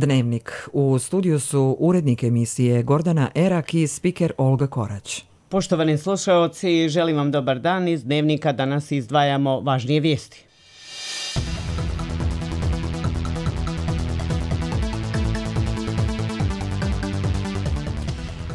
Dnevnik. U studiju su urednik emisije Gordana Erak i spiker Olga Korać. Poštovani slušaoci, želim vam dobar dan. Iz Dnevnika danas izdvajamo važnije vijesti.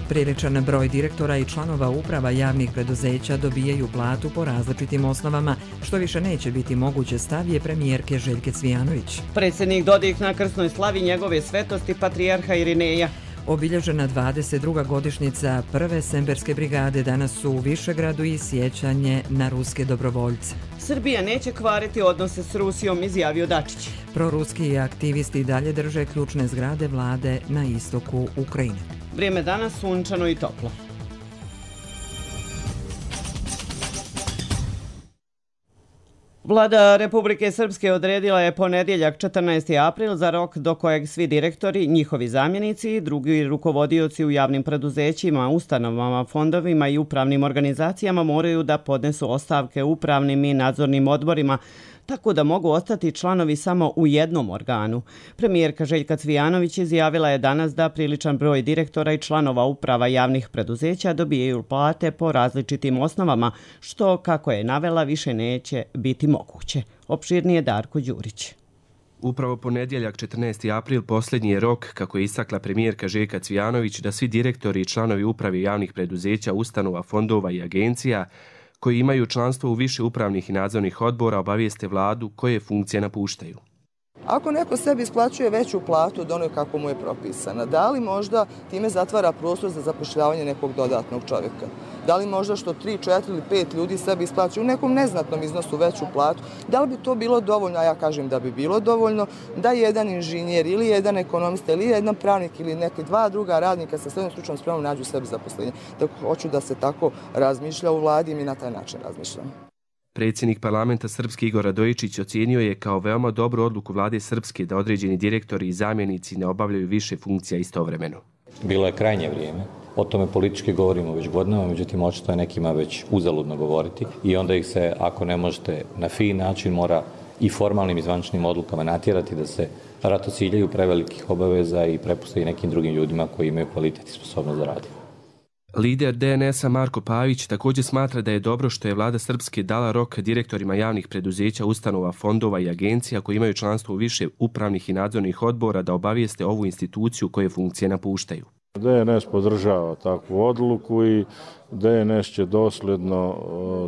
Priličan broj direktora i članova uprava javnih preduzeća dobijaju platu po različitim osnovama, što više neće biti moguće, stav je premijerke Željke Cvijanović. Predsjednik Dodik na krsnoj slavi njegove svetosti patrijarha Irineja. Obilježena 22. godišnjica prve Semberske brigade danas su u Višegradu i sjećanje na ruske dobrovoljce. Srbija neće kvariti odnose s Rusijom, izjavio Dačić. Proruski aktivisti dalje drže ključne zgrade vlade na istoku Ukrajine. Vrijeme danas sunčano i toplo. Vlada Republike Srpske odredila je ponedjeljak 14. april za rok do kojeg svi direktori, njihovi zamjenici i drugi rukovodioci u javnim preduzećima, ustanovama, fondovima i upravnim organizacijama moraju da podnesu ostavke upravnim i nadzornim odborima, tako da mogu ostati članovi samo u jednom organu. Premijerka Željka Cvijanović izjavila je danas da priličan broj direktora i članova uprava javnih preduzeća dobijaju plate po različitim osnovama, što, kako je navela, više neće biti moguće. Opširnije Darko Đurić. Upravo ponedjeljak 14. april posljednji je rok, kako je istakla premijerka Željka Cvijanović, da svi direktori i članovi uprave javnih preduzeća, ustanova, fondova i agencija koji imaju članstvo u više upravnih i nadzornih odbora obavijeste vladu koje funkcije napuštaju. Ako neko sebi isplaćuje veću platu od onoga kako mu je propisana, da li možda time zatvara prostor za zapošljavanje nekog dodatnog čovjeka? Da li možda što 3, 4 ili 5 ljudi sebi isplaćuju u nekom neznatnom iznosu veću platu? Da li bi to bilo dovoljno, a ja kažem da bi bilo dovoljno, da jedan inženjer ili jedan ekonomista ili jedan pravnik ili neki dva druga radnika sa srednjom stručnom spremom nađu sebi zaposlenje. Tako hoću da se tako razmišlja u vladi i mi na taj način razmišljamo. Predsjednik parlamenta Srpske Igor Radojičić ocijenio je kao veoma dobru odluku vlade Srpske da određeni direktori i zamjenici ne obavljaju više funkcija istovremeno. Bilo je krajnje vrijeme. O tome politički govorimo već godinama, međutim očito je nekima već uzaludno govoriti i onda ih se, ako ne možete na fin način, mora i formalnim i zvančnim odlukama natjerati da se ratociljaju prevelikih obaveza i prepuste i nekim drugim ljudima koji imaju kvalitet i sposobnost da radi. Lider DNS-a Marko Pavić također smatra da je dobro što je vlada Srpske dala rok direktorima javnih preduzeća, ustanova, fondova i agencija koji imaju članstvo u više upravnih i nadzornih odbora da obavijeste ovu instituciju koje funkcije napuštaju. DNS podržava takvu odluku i DNS će dosljedno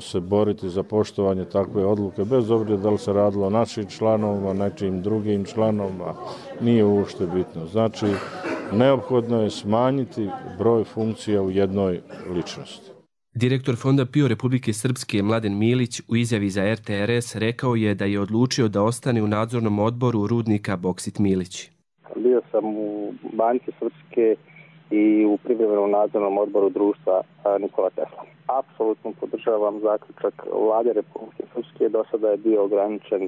se boriti za poštovanje takve odluke, bez obzira da li se radilo o našim članovima, nečim drugim članovima, nije uopšte bitno. Znači, neophodno je smanjiti broj funkcija u jednoj ličnosti. Direktor Fonda PIO Republike Srpske Mladen Milić u izjavi za RTRS rekao je da je odlučio da ostane u nadzornom odboru rudnika Boksit Milić. Bio sam u Banci Srpske i u privremenom nadzornom odboru društva Nikola Tesla. Apsolutno podržavam zaključak vlade Republike Srpske. Do sada je bio ograničen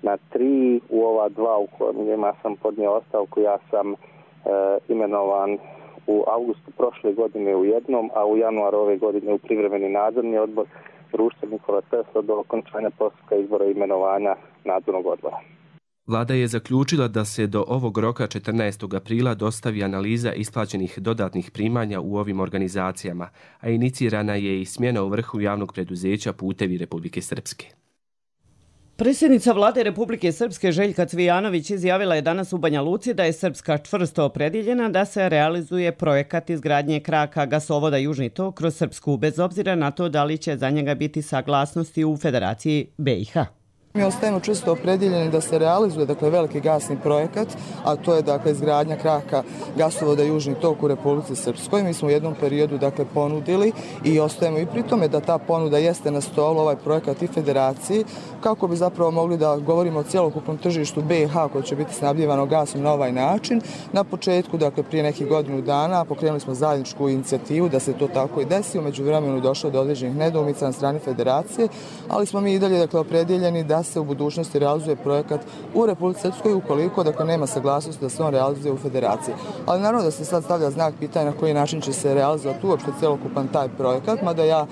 na 3, u ova 2 u kojima sam podnio ostavku. Ja sam imenovan u avgustu prošle godine u jednom, a u januaru ove godine u privremeni nadzorni odbor društva Nikola Tesla do okončanja postupka izbora i imenovanja nadzornog odbora. Vlada je zaključila da se do ovog roka 14. aprila dostavi analiza isplaćenih dodatnih primanja u ovim organizacijama, a inicirana je i smjena u vrhu javnog preduzeća Putevi Republike Srpske. Predsjednica vlade Republike Srpske Željka Cvijanović izjavila je danas u Banja Luci da je Srpska čvrsto opredjeljena da se realizuje projekat izgradnje kraka gasovoda Južni tok kroz Srpsku, bez obzira na to da li će za njega biti saglasnosti u Federaciji BiH. Mi ostajemo čvrsto opredjeljeni da se realizuje veliki gasni projekat, a to je izgradnja kraka gasovoda Južni tok u Republici Srpskoj. Mi smo u jednom periodu ponudili i ostajemo i pri tome da ta ponuda jeste na stolu, ovaj projekat i Federaciji, kako bi zapravo mogli da govorimo o cjelokupnom tržištu BiH koje će biti snabdjevano gasom na ovaj način. Na početku, prije nekih godinu dana, pokrenuli smo zajedničku inicijativu da se to tako i desi. U međuvremenu došlo do određenih nedoumica na strani Federacije, ali smo mi i dalje opredjeljeni da se u budućnosti realizuje projekat u Republici Srpskoj ukoliko nema saglasnosti da se on realizuje u federaciji. Ali naravno da se sad stavlja znak pitanja na koji način će se realizovati uopšte celokupan taj projekat, mada ja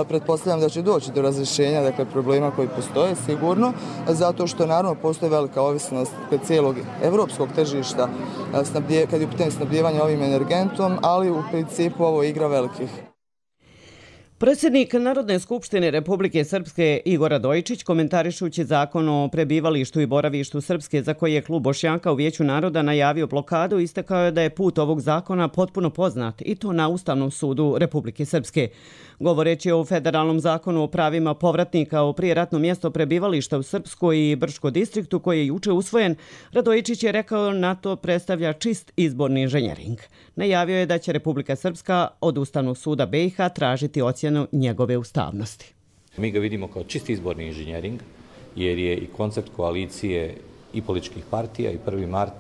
pretpostavljam da će doći do razrješenja problema koji postoje sigurno, zato što naravno postoji velika ovisnost cijelog evropskog tržišta kad je u pitanju snabdijevanja ovim energentom, ali u principu ovo je igra velikih. Predsjednik Narodne skupštine Republike Srpske Igor Radojičić, komentarišući zakon o prebivalištu i boravištu Srpske za koji je klub Bošnjaka u Vijeću naroda najavio blokadu, istakao je da je put ovog zakona potpuno poznat i to na Ustavnom sudu Republike Srpske. Govoreći o federalnom zakonu o pravima povratnika o prijeratno mjesto prebivališta u Srpskoj i Brčko distriktu koji je juče usvojen, Radojičić je rekao na to predstavlja čist izborni inženjering. Najavio je da će Republika Srpska od Ustavnog suda BiH tražiti ocjenu njegove ustavnosti. Mi ga vidimo kao čist izborni inženjering jer je i koncept koalicije i političkih partija i 1. mart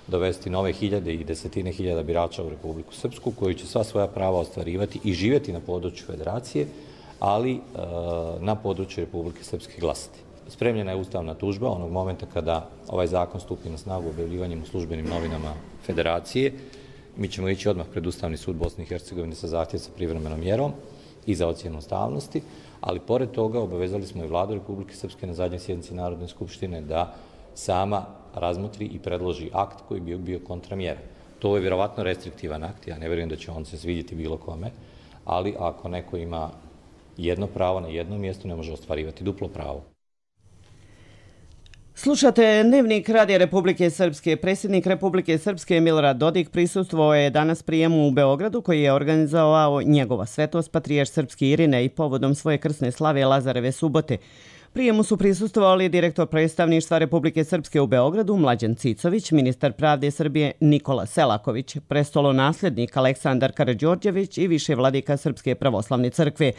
dovesti nove hiljade i desetine hiljada birača u Republiku Srpsku koji će sva svoja prava ostvarivati i živjeti na području federacije, ali na području Republike Srpske glasati. Spremljena je ustavna tužba onog momenta kada ovaj zakon stupi na snagu objavljivanjem u službenim novinama federacije. Mi ćemo ići odmah pred Ustavni sud Bosne i Hercegovine sa zahtjevom sa privremenom mjerom i za ocjenu ustavnosti, ali pored toga obavezali smo i Vladu Republike Srpske na zadnjoj sjednici Narodne skupštine da sama razmotri i predloži akt koji bi bio kontramjera. To je vjerovatno restriktivan akt, ja ne vjerujem da će on se svidjeti bilo kome, ali ako neko ima jedno pravo na jednom mjestu, ne može ostvarivati duplo pravo. Slušate Dnevnik Radija Republike Srpske. Predsjednik Republike Srpske Milorad Dodik prisustvovao je danas prijemu u Beogradu koji je organizovao njegova svetost patrijarh srpski Irine i povodom svoje krsne slave Lazareve subote. Prijemu su prisustvovali direktor predstavništva Republike Srpske u Beogradu Mlađan Cicović, ministar pravde Srbije Nikola Selaković, prestolonaslednik Aleksandar Karađorđević i više vladika Srpske pravoslavne crkve.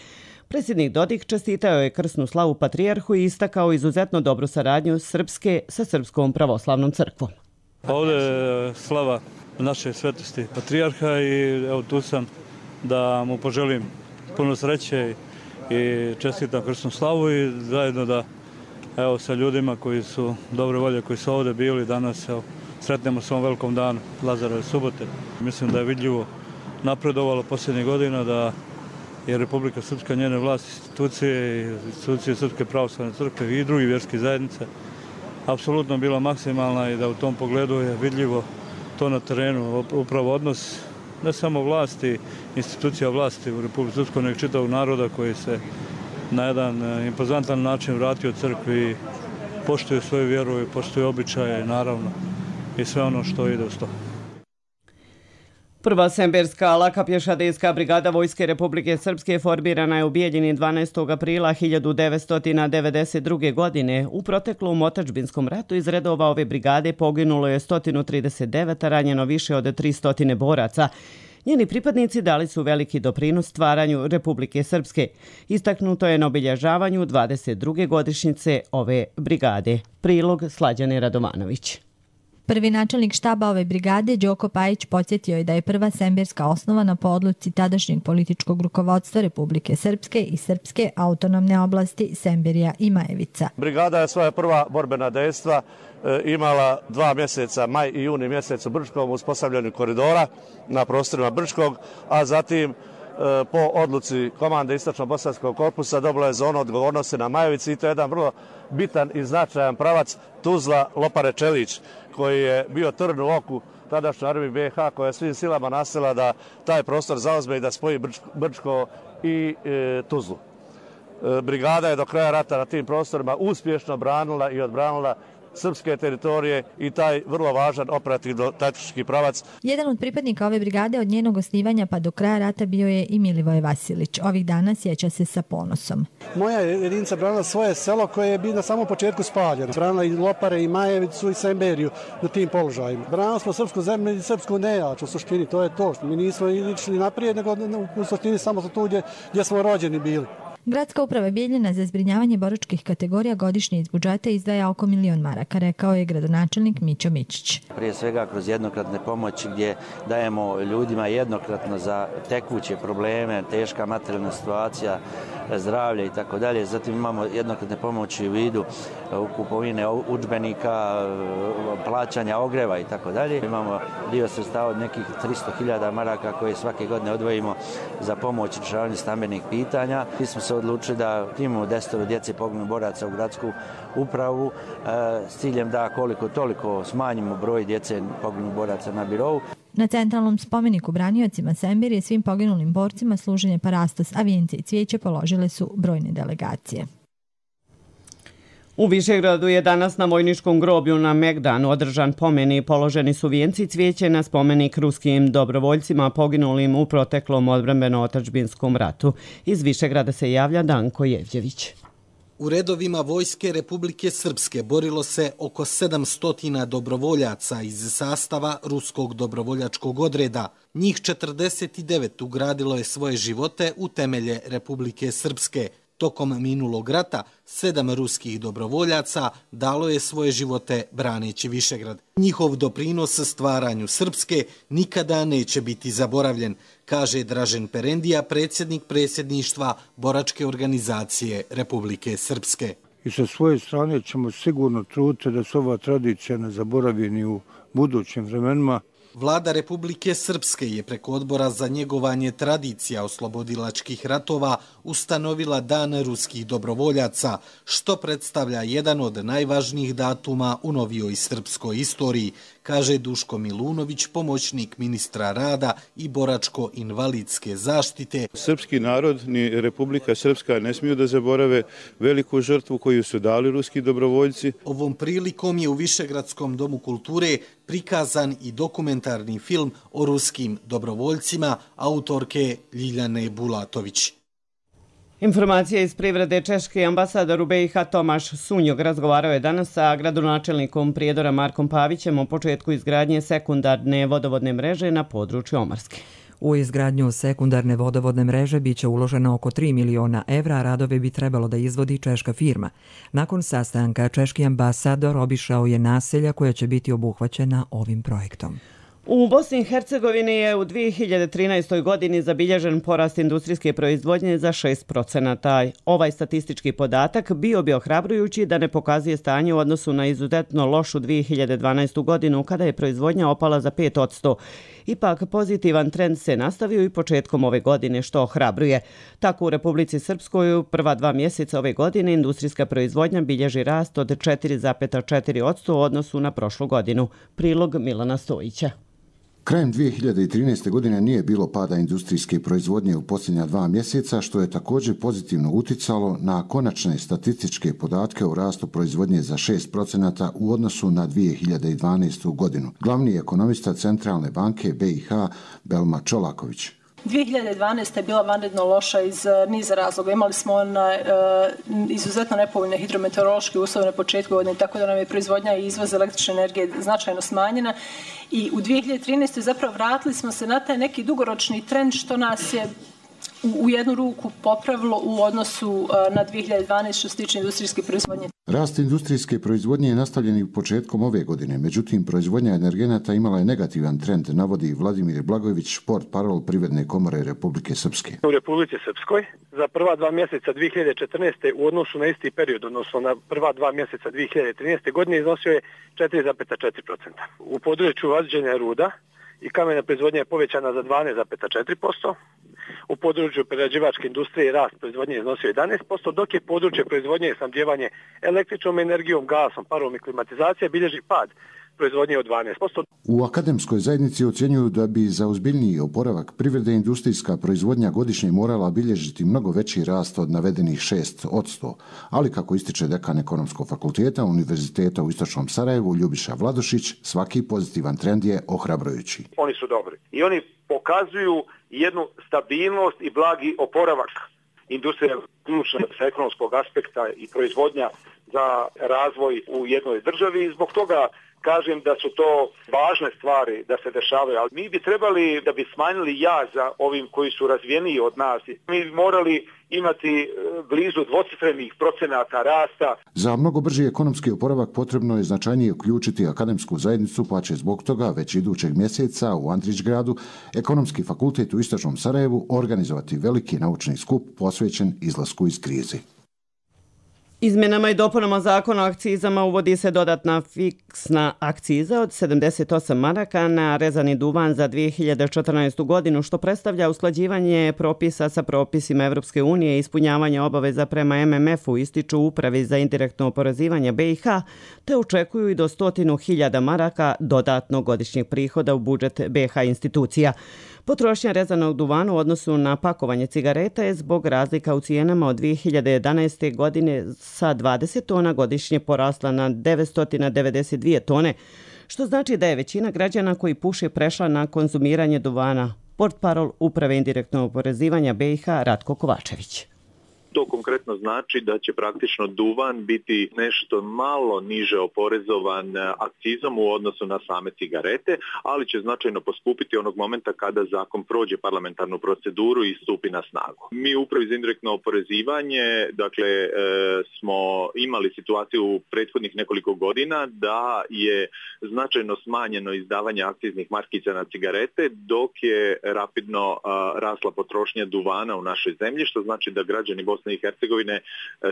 Predsjednik Dodik čestitao je krsnu slavu patrijarhu i istakao izuzetno dobru saradnju Srpske sa Srpskom pravoslavnom crkvom. Ovdje je slava naše svetosti patrijarha i evo tu sam da mu poželim puno sreće i čestitam krsnu slavu i zajedno da evo sa ljudima koji su dobre volje, koji su ovdje bili danas, evo, sretnemo se ovom velikom danu Lazareve subote. Mislim da je vidljivo napredovalo posljednjih godina, da je Republika Srpska, njene vlasti, institucije Srpske pravoslavne crkve i drugih vjerskih zajednica apsolutno bila maksimalna i da u tom pogledu je vidljivo to na terenu, upravo odnos ne samo vlasti, institucija vlasti u Republike Srpskoj, nego čitavog naroda koji se na jedan impozantan način vratio crkvi i poštuje svoju vjeru i poštuje običaje, naravno, i sve ono što ide uz to. Prva semberska laka pješadijska brigada Vojske Republike Srpske formirana je u Bijeljini 12. aprila 1992. godine. U proteklom otadžbinskom ratu iz redova ove brigade poginulo je 139, a ranjeno više od 300 boraca. Njeni pripadnici dali su veliki doprinos stvaranju Republike Srpske. Istaknuto je na obilježavanju 22. godišnjice ove brigade. Prilog Slađane Radovanović. Prvi načelnik štaba ove brigade, Đoko Pajić, podsjetio je da je prva semberska osnovana po odluci tadašnjeg političkog rukovodstva Republike Srpske i Srpske autonomne oblasti Semberija i Majevica. Brigada je svoja prva borbena dejstva imala 2 mjeseca, maj i juni mjesec u Brčkom, uspostavljanju koridora na prostorima Brčkog, a zatim po odluci komande Istočno-Bosanskog korpusa dobila je zonu odgovornosti na Majevici i to je jedan vrlo bitan i značajan pravac Tuzla-Lopare-Čelić koji je bio trn u oku tadašnjoj armiji BiH koja je svim silama nasila da taj prostor zauzme i da spoji Brčko i Tuzlu. Brigada je do kraja rata na tim prostorima uspješno branila i odbranila srpske teritorije i taj vrlo važan operativno-taktički pravac. Jedan od pripadnika ove brigade od njenog osnivanja pa do kraja rata bio je i Milivoje Vasilić. Ovih dana sjeća se sa ponosom. Moja jedinica branila svoje selo koje je bilo na samom početku spaljeno. Branila i Lopare, i Majevicu, i Semberiju na tim položajima. Branili smo srpsku zemlju i srpsku nejač, u suštini to je to. Mi nismo išli naprijed, nego u suštini samo tu gdje smo rođeni bili. Gradska uprava Bijeljina za zbrinjavanje boračkih kategorija godišnje iz budžeta izdvaja oko 1 milion maraka, rekao je gradonačelnik Mićo Mičić. Prije svega kroz jednokratne pomoći gdje dajemo ljudima jednokratno za tekuće probleme, teška materijalna situacija, zdravlja i tako dalje. Zatim imamo jednokratne pomoći u vidu kupovine udžbenika, plaćanja ogreva i tako dalje. Imamo dio sredstava od nekih 300.000 maraka koje svake godine odvojimo za pomoć rješavanju stambenih pitanja. Mi smo se odlučili da imamo 10 djece poginulih boraca u gradsku upravu s ciljem da koliko toliko smanjimo broj djece poginulih boraca na birou. Na centralnom spomeniku braniocima Semberije svim poginulim borcima služenje parastos, a vijence i cvijeće položile su brojne delegacije. U Višegradu je danas na vojničkom groblju na Megdanu održan pomen i položeni su vijenci cvijeće na spomenik ruskim dobrovoljcima poginulim u proteklom odbrambeno-otadžbinskom ratu. Iz Višegrada se javlja Danko Jevđević. U redovima Vojske Republike Srpske borilo se oko 700 dobrovoljaca iz sastava Ruskog dobrovoljačkog odreda. Njih 49 ugradilo je svoje živote u temelje Republike Srpske. Tokom minulog rata 7 ruskih dobrovoljaca dalo je svoje živote braneći Višegrad. Njihov doprinos stvaranju Srpske nikada neće biti zaboravljen, kaže Dražen Perendija, predsjednik predsjedništva Boračke organizacije Republike Srpske. I sa svoje strane ćemo sigurno truditi da se ova tradicija ne zaboravi ni u budućim vremenima. Vlada Republike Srpske je preko Odbora za njegovanje tradicija oslobodilačkih ratova ustanovila Dan ruskih dobrovoljaca, što predstavlja jedan od najvažnijih datuma u novijoj srpskoj istoriji, kaže Duško Milunović, pomoćnik ministra rada i boračko-invalidske zaštite. Srpski narod ni Republika Srpska ne smiju da zaborave veliku žrtvu koju su dali ruski dobrovoljci. Ovom prilikom je u Višegradskom domu kulture prikazan i dokumentarni film o ruskim dobrovoljcima autorke Ljiljane Bulatović. Informacija iz privrede. Češki ambasador u BiH Tomaš Sunjog razgovarao je danas sa gradonačelnikom Prijedora Markom Pavićem o početku izgradnje sekundarne vodovodne mreže na području Omarske. U izgradnju sekundarne vodovodne mreže biće uloženo oko 3 miliona evra, a radove bi trebalo da izvodi češka firma. Nakon sastanka, češki ambasador obišao je naselja koja će biti obuhvaćena ovim projektom. U Bosni i Hercegovini je u 2013. godini zabilježen porast industrijske proizvodnje za 6%. Ovaj statistički podatak bio bi ohrabrujući da ne pokazuje stanje u odnosu na izuzetno lošu 2012. godinu kada je proizvodnja opala za 5%. Ipak pozitivan trend se nastavio i početkom ove godine, što ohrabruje. Tako u Republici Srpskoj u prva 2 mjeseca ove godine industrijska proizvodnja bilježi rast od 4,4% u odnosu na prošlu godinu. Prilog Milana Stojića. Krajem 2013. godine nije bilo pada industrijske proizvodnje u posljednja 2 mjeseca, što je također pozitivno uticalo na konačne statističke podatke o rastu proizvodnje za 6% u odnosu na 2012. godinu. Glavni ekonomista Centralne banke BiH Belma Čolaković. 2012. je bila vanredno loša iz niza razloga. Imali smo izuzetno nepovoljne hidrometeorološke uslove na početku godine, tako da nam je proizvodnja i izvoz električne energije značajno smanjena. I u 2013. zapravo vratili smo se na taj neki dugoročni trend što nas je u jednu ruku popravilo u odnosu na 2012. što se tiče industrijske proizvodnje. Rast industrijske proizvodnje je nastavljen i početkom ove godine, međutim proizvodnja energenata imala je negativan trend, navodi Vladimir Blagojević, portparol Privredne komore Republike Srpske. U Republici Srpskoj za prva 2 mjeseca 2014. u odnosu na isti period, odnosno na prva 2 mjeseca 2013. godine iznosio je 4,4%. U području vađenja ruda i kamena proizvodnja je povećana za 12,4%. U području prerađivačke industrije rast proizvodnje iznosio 11%, dok je područje proizvodnje i snabdijevanje električnom energijom, gasom, parom i klimatizacija bilježi pad proizvodnje od 12%. U akademskoj zajednici ocjenjuju da bi za ozbiljniji oporavak privrede industrijska proizvodnja godišnje morala bilježiti mnogo veći rast od navedenih 6%, ali kako ističe dekan Ekonomskog fakulteta Univerziteta u Istočnom Sarajevu Ljubiša Vladušić, svaki pozitivan trend je ohrabrujući. Oni su dobri i oni pokazuju jednu stabilnost i blagi oporavak. Industrija ključna sa ekonomskog aspekta i proizvodnja za razvoj u jednoj državi i zbog toga kažem da su to važne stvari da se dešavaju, ali mi bi trebali da bi smanjili jaz za ovim koji su razvijeniji od nas. Mi bi morali imati blizu dvocifrenih procenata rasta. Za mnogo brži ekonomski oporavak potrebno je značajnije uključiti akademsku zajednicu, pa će zbog toga već idućeg mjeseca u Andrićgradu Ekonomski fakultet u Istočnom Sarajevu organizovati veliki naučni skup posvećen izlasku iz krize. Izmjenama i dopunama zakona o akcizama uvodi se dodatna fiksna akciza od 78 maraka na rezani duvan za 2014. godinu, što predstavlja usklađivanje propisa sa propisima Evropske unije i ispunjavanje obaveza prema MMF-u, ističu Upravi za indirektno oporezivanje BiH, te očekuju i do 100.000 maraka dodatnog godišnjeg prihoda u budžet BiH institucija. Potrošnja rezanog duvana u odnosu na pakovanje cigareta je zbog razlika u cijenama od 2011. godine sa 20 tona godišnje porasla na 992 tone, što znači da je većina građana koji puše prešla na konzumiranje duvana. Portparol Uprave indirektnog oporezivanja BiH Ratko Kovačević. To konkretno znači da će praktično duvan biti nešto malo niže oporezovan akcizom u odnosu na same cigarete, ali će značajno poskupiti onog momenta kada zakon prođe parlamentarnu proceduru i stupi na snagu. Mi u Upravi za indirektno oporezivanje, smo imali situaciju u prethodnih nekoliko godina da je značajno smanjeno izdavanje akciznih markica na cigarete, dok je rapidno rasla potrošnja duvana u našoj zemlji, što znači da građani Bosne i Hercegovine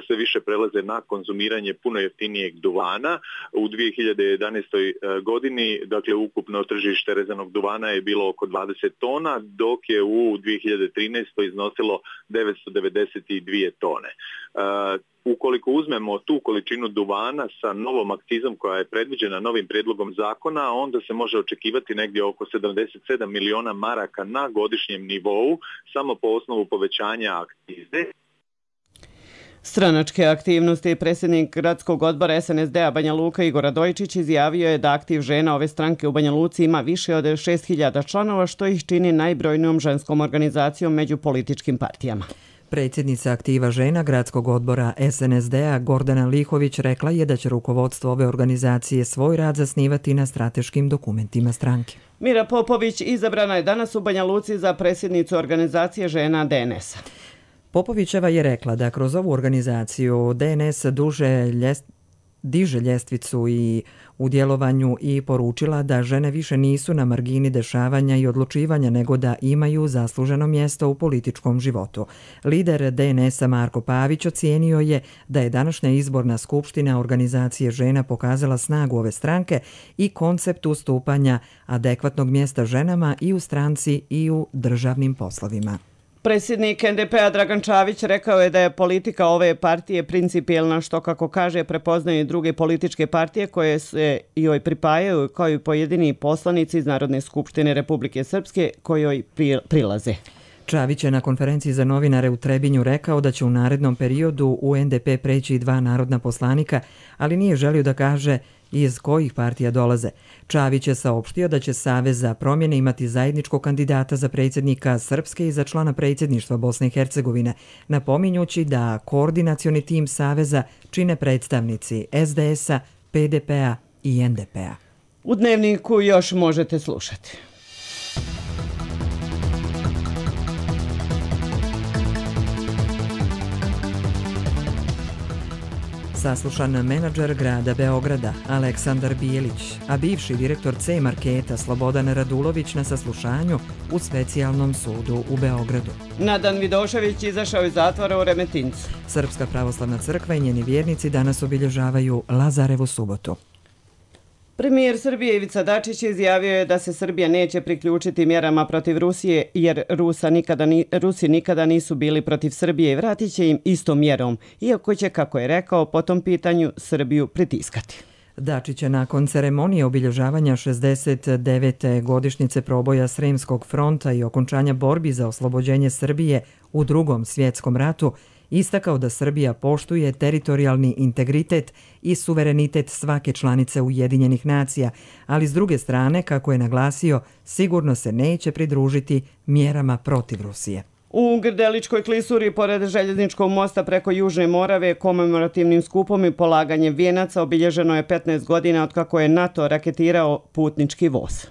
sve više prelaze na konzumiranje puno jeftinijeg duvana. U 2011. godini, ukupno tržište rezanog duvana je bilo oko 20 tona, dok je u 2013. iznosilo 992 tone. Ukoliko uzmemo tu količinu duvana sa novom akcizom koja je predviđena novim prijedlogom zakona, onda se može očekivati negdje oko 77 miliona maraka na godišnjem nivou, samo po osnovu povećanja akcize. Stranačke aktivnosti predsjednik gradskog odbora SNSD-a Banja Luka Igor Radojčić izjavio je da aktiv žena ove stranke u Banja Luci ima više od 6.000 članova, što ih čini najbrojnijom ženskom organizacijom među političkim partijama. Predsjednica aktiva žena gradskog odbora SNSD-a Gordana Lihović rekla je da će rukovodstvo ove organizacije svoj rad zasnivati na strateškim dokumentima stranke. Mira Popović izabrana je danas u Banja Luci za predsjednicu organizacije žena DNS-a. Popovićeva je rekla da kroz ovu organizaciju DNS diže ljestvicu i u djelovanju i poručila da žene više nisu na margini dešavanja i odlučivanja, nego da imaju zasluženo mjesto u političkom životu. Lider DNS-a Marko Pavić ocijenio je da je današnja izborna skupština organizacije žena pokazala snagu ove stranke i koncept ustupanja adekvatnog mjesta ženama i u stranci i u državnim poslovima. Predsjednik NDP-a Dragan Čavić rekao je da je politika ove partije principijelna, što, kako kaže, prepoznaju i druge političke partije koje se joj pripajaju, kao i pojedini poslanici iz Narodne skupštine Republike Srpske kojoj prilaze. Čavić je na konferenciji za novinare u Trebinju rekao da će u narednom periodu u NDP preći 2 narodna poslanika, ali nije želio da kaže iz kojih partija dolaze. Čavić je saopštio da će Savez za promjene imati zajedničkog kandidata za predsjednika Srpske i za člana predsjedništva Bosne i Hercegovine, napominjući da koordinacioni tim Saveza čine predstavnici SDS-a, PDP-a i NDP-a. U Dnevniku još možete slušati. Saslušan menadžer grada Beograda Aleksandar Bijelić, a bivši direktor C-marketa Slobodan Radulović na saslušanju u specijalnom sudu u Beogradu. Nadan Vidošević izašao iz zatvora u Remetincu. Srpska pravoslavna crkva i njeni vjernici danas obilježavaju Lazarevu subotu. Premijer Srbije Ivica Dačić izjavio je da se Srbija neće priključiti mjerama protiv Rusije, jer Rusi nikada nisu bili protiv Srbije i vratit će im istom mjerom, iako će, kako je rekao, po tom pitanju Srbiju pritiskati. Dačić je nakon ceremonije obilježavanja 69. godišnjice proboja Sremskog fronta i okončanja borbi za oslobođenje Srbije u Drugom svjetskom ratu istakao da Srbija poštuje teritorijalni integritet i suverenitet svake članice Ujedinjenih nacija, ali s druge strane, kako je naglasio, sigurno se neće pridružiti mjerama protiv Rusije. U Grdeličkoj klisuri, pored željezničkog mosta preko Južne Morave, komemorativnim skupom i polaganjem vijenaca obilježeno je 15 godina od kako je NATO raketirao putnički voz.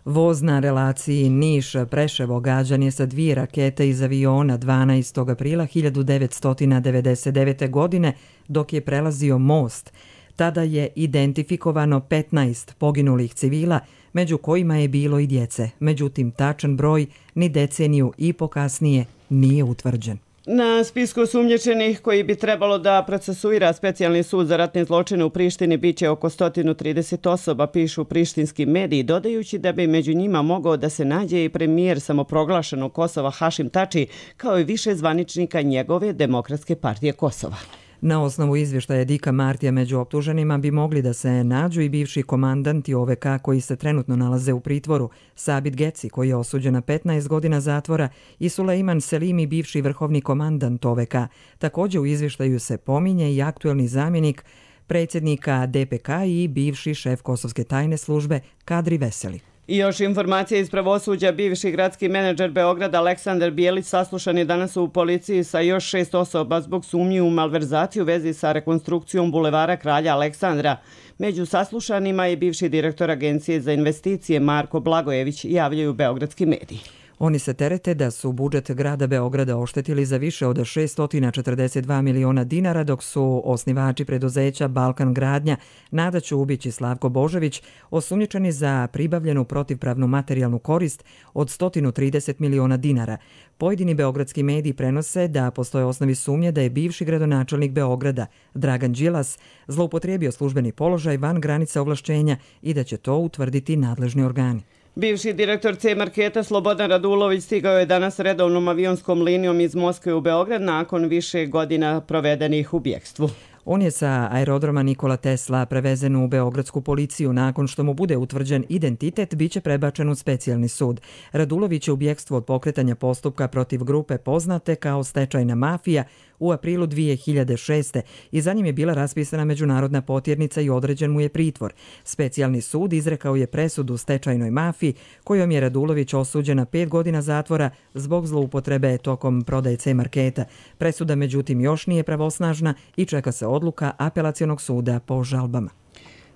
Voz na relaciji Niš-Preševo gađan je sa 2 rakete iz aviona 12. aprila 1999. godine dok je prelazio most. Tada je identifikovano 15 poginulih civila, među kojima je bilo i djece. Međutim, tačan broj ni deceniju i po kasnije nije utvrđen. Na spisku osumnjičenih koji bi trebalo da procesuira specijalni sud za ratne zločine u Prištini biće oko 130 osoba, pišu prištinski mediji, dodajući da bi među njima mogao da se nađe i premijer samoproglašenog Kosova Hašim Tači, kao i više zvaničnika njegove Demokratske partije Kosova. Na osnovu izvještaja Dika Martija među optuženima bi mogli da se nađu i bivši komandanti OVK koji se trenutno nalaze u pritvoru, Sabit Geci koji je osuđen na 15 godina zatvora i Sulejman Selimi, bivši vrhovni komandant OVK. Također u izvještaju se pominje i aktuelni zamjenik predsjednika DPK i bivši šef Kosovske tajne službe Kadri Veseli. I još informacije iz pravosuđa. Bivši gradski menadžer Beograda Aleksandar Bijelić saslušan je danas u policiji sa još 6 osoba zbog sumnji u malverzaciju u vezi sa rekonstrukcijom bulevara Kralja Aleksandra. Među saslušanima je bivši direktor Agencije za investicije Marko Blagojević, javljaju beogradski mediji. Oni se terete da su budžet grada Beograda oštetili za više od 642 miliona dinara, dok su osnivači preduzeća Balkan Gradnja, Nada Ćubić i Slavko Božević osumnjičeni za pribavljenu protivpravnu materijalnu korist od 130 miliona dinara. Pojedini beogradski mediji prenose da postoje osnovi sumnje da je bivši gradonačelnik Beograda, Dragan Đilas, zloupotrijebio službeni položaj van granica ovlašćenja i da će to utvrditi nadležni organi. Bivši direktor C-marketa Slobodan Radulović stigao je danas redovnom avionskom linijom iz Moskve u Beograd nakon više godina provedenih u bjekstvu. On je sa aerodroma Nikola Tesla prevezen u beogradsku policiju. Nakon što mu bude utvrđen identitet, biće prebačen u specijalni sud. Radulović je u bjekstvu od pokretanja postupka protiv grupe poznate kao stečajna mafija u aprilu 2006. i za njim je bila raspisana međunarodna potjernica i određen mu je pritvor. Specijalni sud izrekao je presudu stečajnoj mafiji kojom je Radulović osuđen na 5 godina zatvora zbog zloupotrebe tokom prodaje C-marketa. Presuda međutim još nije pravosnažna i čeka se odluka apelacionog suda po žalbama.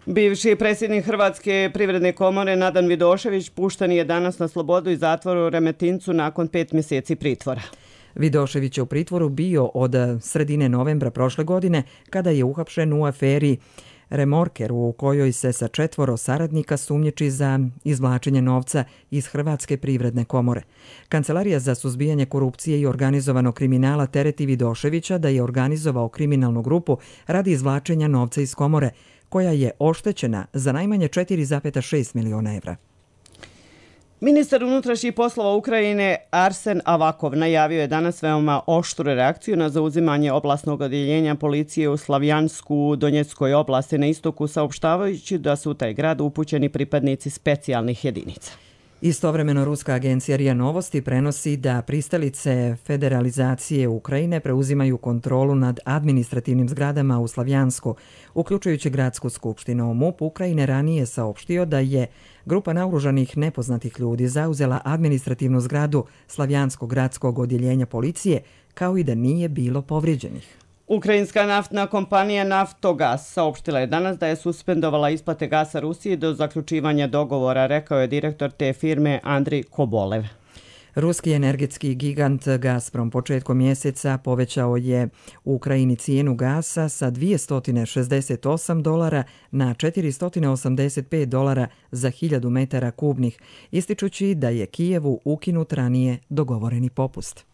Bivši predsjednik Hrvatske privredne komore Nadan Vidošević pušten je danas na slobodu iz zatvora u Remetincu nakon 5 mjeseci pritvora. Vidošević je u pritvoru bio od sredine novembra prošle godine kada je uhapšen u aferi Remorker u kojoj se sa 4 saradnika sumnjiči za izvlačenje novca iz Hrvatske privredne komore. Kancelarija za suzbijanje korupcije i organizovanog kriminala tereti Vidoševića da je organizovao kriminalnu grupu radi izvlačenja novca iz komore, koja je oštećena za najmanje 4,6 miliona evra. Ministar unutrašnjih poslova Ukrajine Arsen Avakov najavio je danas veoma oštru reakciju na zauzimanje oblastnog odjeljenja policije u Slavjansku u Donjeckoj oblasti na istoku, saopštavajući da su u taj grad upućeni pripadnici specijalnih jedinica. Istovremeno ruska agencija RIA Novosti prenosi da pristalice federalizacije Ukrajine preuzimaju kontrolu nad administrativnim zgradama u Slavjansku, uključujući gradsku skupštinu. MUP Ukrajine ranije saopštio da je grupa naoružanih nepoznatih ljudi zauzela administrativnu zgradu Slavjanskog gradskog odjeljenja policije, kao i da nije bilo povrijeđenih. Ukrajinska naftna kompanija Naftogaz saopštila je danas da je suspendovala isplate gasa Rusiji do zaključivanja dogovora, rekao je direktor te firme Andrij Kobolev. Ruski energetski gigant Gazprom početkom mjeseca povećao je u Ukrajini cijenu gasa sa $268 na $485 za 1000 metara kubnih, ističući da je Kijevu ukinut ranije dogovoreni popust.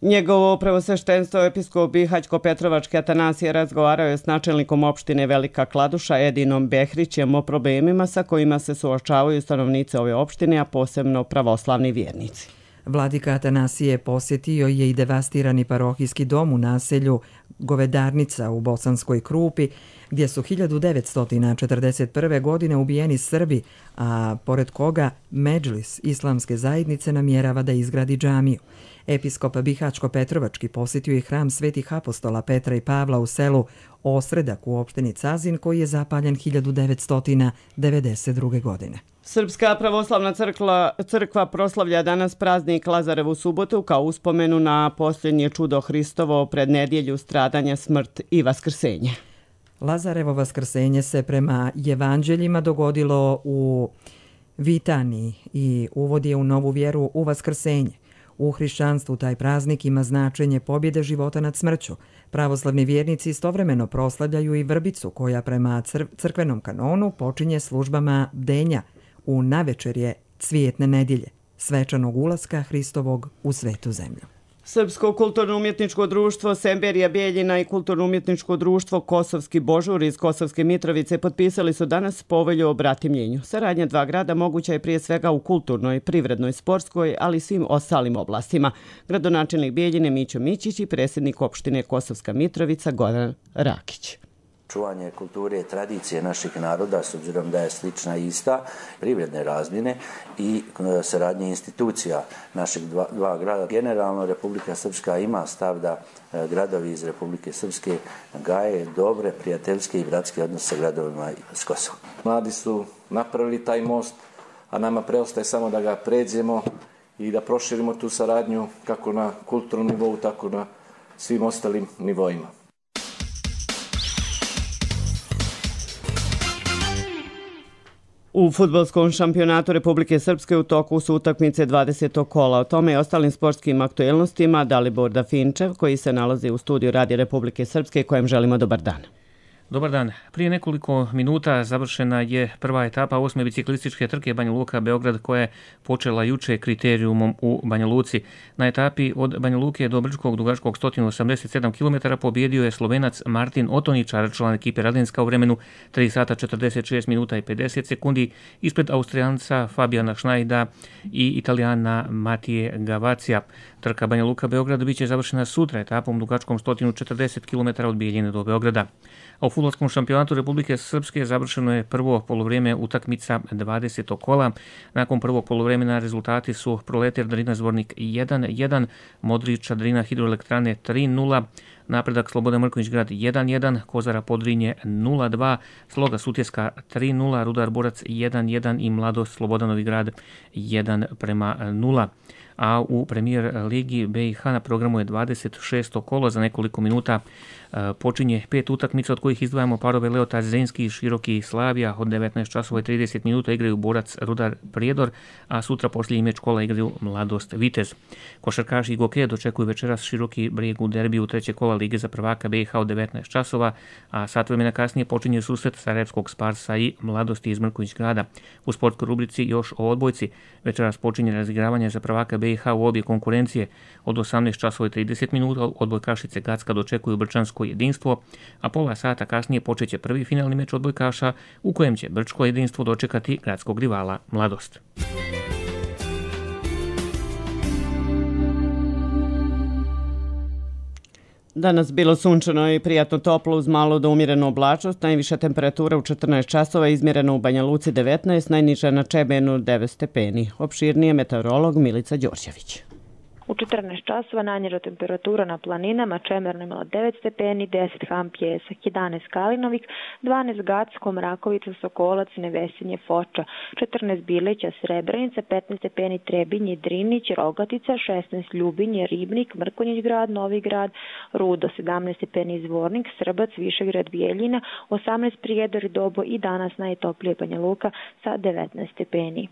Njegovo preosveštenstvo episkop Bihaćko-Petrovački Atanasije razgovarao je s načelnikom opštine Velika Kladuša Edinom Behrićem o problemima sa kojima se suočavaju stanovnici ove opštine, a posebno pravoslavni vjernici. Vladika Atanasije posjetio je i devastirani parohijski dom u naselju Govedarnica u Bosanskoj Krupi, gdje su 1941. godine ubijeni Srbi, a pored koga Medžlis islamske zajednice namjerava da izgradi džamiju. Episkop Bihaćko-Petrovački posjetio je hram svetih apostola Petra i Pavla u selu Osredak u opštini Cazin, koji je zapaljen 1992. godine. Srpska pravoslavna crkva proslavlja danas praznik Lazarevu subotu kao uspomenu na posljednje čudo Hristovo pred nedjelju stradanja, smrt i vaskrsenje. Lazarevo vaskrsenje se prema evanđeljima dogodilo u Vitaniji i uvod je u novu vjeru u vaskrsenje. U hrišćanstvu taj praznik ima značenje pobjede života nad smrću. Pravoslavni vjernici istovremeno proslavljaju i vrbicu koja prema crkvenom kanonu počinje službama bdenja u navečerje cvijetne nedjelje, svečanog ulaska Hristovog u svetu zemlju. Srpsko kulturno-umjetničko društvo Semberija Bijeljina i kulturno-umjetničko društvo Kosovski Božur iz Kosovske Mitrovice potpisali su danas povelju o bratimljenju. Saradnja dva grada moguća je prije svega u kulturnoj, privrednoj, sportskoj, ali i svim ostalim oblastima. Gradonačelnik Bijeljine Mićo Mićić i predsjednik opštine Kosovska Mitrovica Goran Rakić. Čuvanje kulture i tradicije naših naroda, s obzirom da je slična i ista, privredne razmjene i saradnje institucija naših dva grada. Generalno Republika Srpska ima stav da gradovi iz Republike Srpske gaje dobre, prijateljske i bratske odnose sa gradovima s Kosova. Mladi su napravili taj most, a nama preostaje samo da ga pređemo i da proširimo tu saradnju kako na kulturnom nivou, tako na svim ostalim nivoima. U fudbalskom šampionatu Republike Srpske u toku su utakmice 20. kola. O tome i ostalim sportskim aktuelnostima Dalibor Dafinčev, koji se nalazi u studiju Radija Republike Srpske, kojem želimo dobar dan. Dobar dan. Prije nekoliko minuta završena je prva etapa 8. biciklističke trke Banja Luka-Beograd koja je počela juče kriterijumom u Banja Luci. Na etapi od Banja Luke do Brčkog dugačkog 187 km pobjedio je Slovenac Martin Otoničar, član ekipe Radenska u vremenu 3 sata 46 minuta i 50 sekundi ispred Austrijanca Fabijana Šnajda i Italijana Matije Gavacija. Trka Banja Luka-Beograd biće završena sutra etapom dugačkom 140 km od Bijeljine do Beograda. A u fudbalskom šampionatu Republike Srpske završeno je prvo poluvrijeme utakmica 20. kola. Nakon prvog poluvremena rezultati su Proletar Drina Zvornik 1-1, Modrića Drina Hidroelektrane 3-0, Napredak Slobodan Mrkonjić Grad 1-1, Kozara Podrinje 0-2, Sloga Sutjeska 3-0, Rudar Borac 1-1 i Mladost Slobodanovi Grad 1-0. A u premijer ligi BiH na programu je 26. kolo. Za nekoliko minuta počinje 5 utakmica, od kojih izdvajamo parove Leota Zrenski i Široki Slavija. Od 19 časova i 30 minuta igraju Borac Rudar Prijedor, a sutra posljednji meč kola igraju Mladost Vitez. Košarkaši i Goke dočekuju večeras Široki Brijeg u derbiju treće kola Lige za prvaka BiH od 19 časova, a sat vremena kasnije počinje susret Sarajevskog Sparsa i Mladosti iz Mrkonjić Grada. U sportskoj rubrici još o odbojci. Večeras počinje razigravanje za prvaka BiH u obje konkurencije. Od 18 časova i 30 minuta odbojkašice Gacka dočekuju Brčansko jedinstvo, a pola sata kasnije počeće prvi finalni meč odbojkaša u kojem će Brčko jedinstvo dočekati gradskog rivala Mladost. Danas bilo sunčano i prijatno toplo uz malo do umjerenu oblačnost. Najviša temperatura u 14 časova izmjerena u Banja Luci 19, najniža na Čebenu 9 stepeni. Opširnije meteorolog Milica Đorđević. U 14 časova najniža temperatura na planinama Čemerno imala 9 stepeni, 10 Ham Pjesak, 11 Kalinovik, 12 Gacko, Mrakovica, Sokolac, Nevesinje, Foča, 14 Bilića, Srebrenica, 15 stepeni Trebinje, Drinić, Rogatica, 16 Ljubinje, Ribnik, Mrkonjić Grad, Novi Grad, Rudo, 17 stepeni Zvornik, Srbac, Višegrad, Bijeljina, 18 Prijedor i Dobo i danas najtoplije Banja Luka sa 19 stepeni.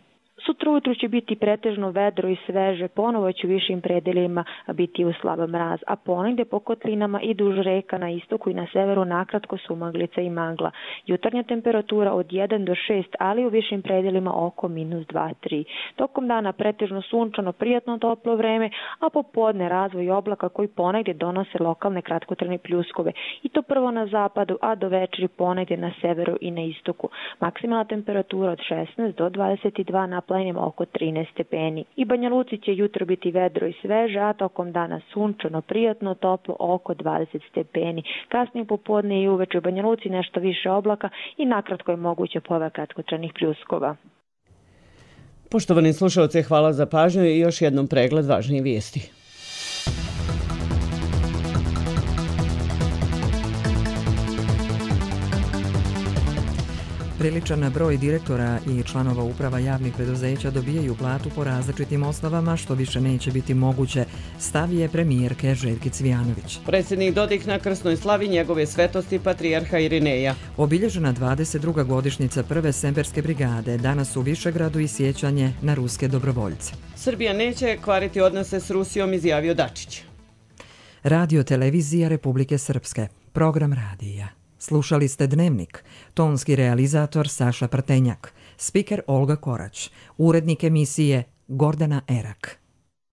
Sutra ujutru će biti pretežno vedro i sveže, ponovo će u višim predelima biti u slab mraz, a ponegde po kotlinama i duž reka na istoku i na severu nakratko sumaglica i magla. Jutarnja temperatura od 1 do 6, ali u višim predelima oko -2-3. Tokom dana pretežno sunčano, prijatno toplo vreme, a popodne razvoj oblaka koji ponegde donose lokalne kratkotrajne pljuskove. I to prvo na zapadu, a do večeri ponegde na severu i na istoku. Maksimalna temperatura od 16 do 22 na planima oko 13 stepeni. I Banja Luci će jutro biti vedro i sveže, a tokom dana sunčano, prijatno, toplo oko 20 stepeni. Kasnije popodne i uveče u Banja Luci nešto više oblaka i nakratko je moguće pojava kratkotrajnih pljuskova. Poštovani slušalci, hvala za pažnju i još jednom pregled važnijih vijesti. Priličan broj direktora i članova uprava javnih preduzeća dobijaju platu po različitim osnovama, što više neće biti moguće, stav je premijerke Željke Cvijanović. Predsjednik Dodik na krsnoj slavi njegove svetosti patrijarha Irineja. Obilježena 22. godišnjica prve Semberske brigade, danas u Višegradu i sjećanje na ruske dobrovoljce. Srbija neće kvariti odnose s Rusijom, izjavio Dačić. Radio televizija Republike Srpske, program radija. Slušali ste Dnevnik, tonski realizator Saša Prtenjak, spiker Olga Korać, urednik emisije Gordana Erak.